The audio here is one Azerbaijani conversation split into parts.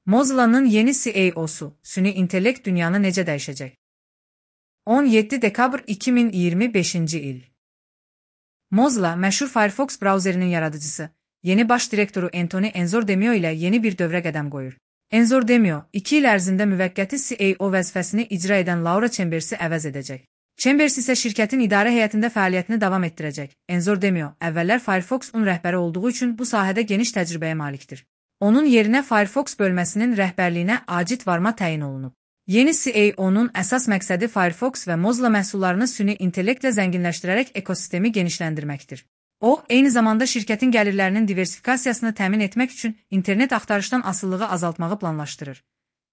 Mozilla'nın yeni CEO'su, süni intellekt dünyanı necə dəyişəcək? 17 dekabr 2025-ci il. Mozilla, məşhur Firefox brauzerinin yaradıcısı, yeni baş direktoru Anthony Enzordemio ilə yeni bir dövrə qədəm qoyur. Enzordemio, 2 il ərzində müvəqqəti CEO vəzifəsini icra edən Laura Chambers'i əvəz edəcək. Chambers isə şirkətin idarə heyətində fəaliyyətini davam etdirəcək. Enzordemio, əvvəllər Firefox-un rəhbəri olduğu üçün bu sahədə geniş təcrübəyə malikdir. Onun yerinə Firefox bölməsinin rəhbərliyinə Acit Varma təyin olunub. Yeni CEO'nun əsas məqsədi Firefox və Mozilla məhsullarını süni intellektlə zənginləşdirərək ekosistemi genişləndirməkdir. O, eyni zamanda şirkətin gəlirlərinin diversifikasiyasını təmin etmək üçün internet axtarışdan asılılığı azaltmağı planlaşdırır.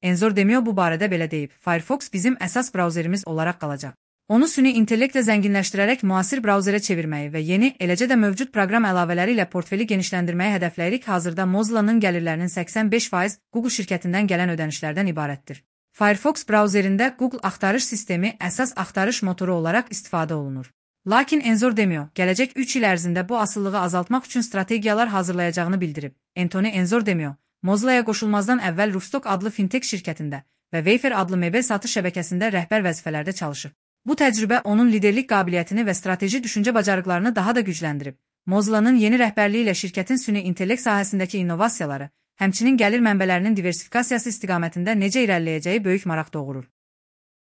Enzordemio bu barədə belə deyib: Firefox bizim əsas brauzerimiz olaraq qalacaq. Onu süni intellektlə zənginləşdirərək müasir brauzerə çevirməyi və yeni, eləcə də mövcud proqram əlavələri ilə portfeli genişləndirməyi hədəfləyirik. Hazırda Mozilla'nın gəlirlərinin 85% Google şirkətindən gələn ödənişlərdən ibarətdir. Firefox brauzerində Google axtarış sistemi əsas axtarış motoru olaraq istifadə olunur. Lakin Enzordemio, gələcək 3 il ərzində bu asılılığı azaltmaq üçün strategiyalar hazırlayacağını bildirib. Anthony Enzordemio, Mozilla'ya qoşulmazdan əvvəl Roofstock adlı fintech şirkətində və Wayfair adlı mebel satış şəbəkəsində rəhbər vəzifələrdə çalışıb. Bu təcrübə onun liderlik qabiliyyətini və strateji düşüncə bacarıqlarını daha da gücləndirib. Mozilla'nın yeni rəhbərliyi ilə şirkətin süni intellekt sahəsindəki innovasiyaları, həmçinin gəlir mənbələrinin diversifikasiyası istiqamətində necə irəliləyəcəyi böyük maraq doğurur.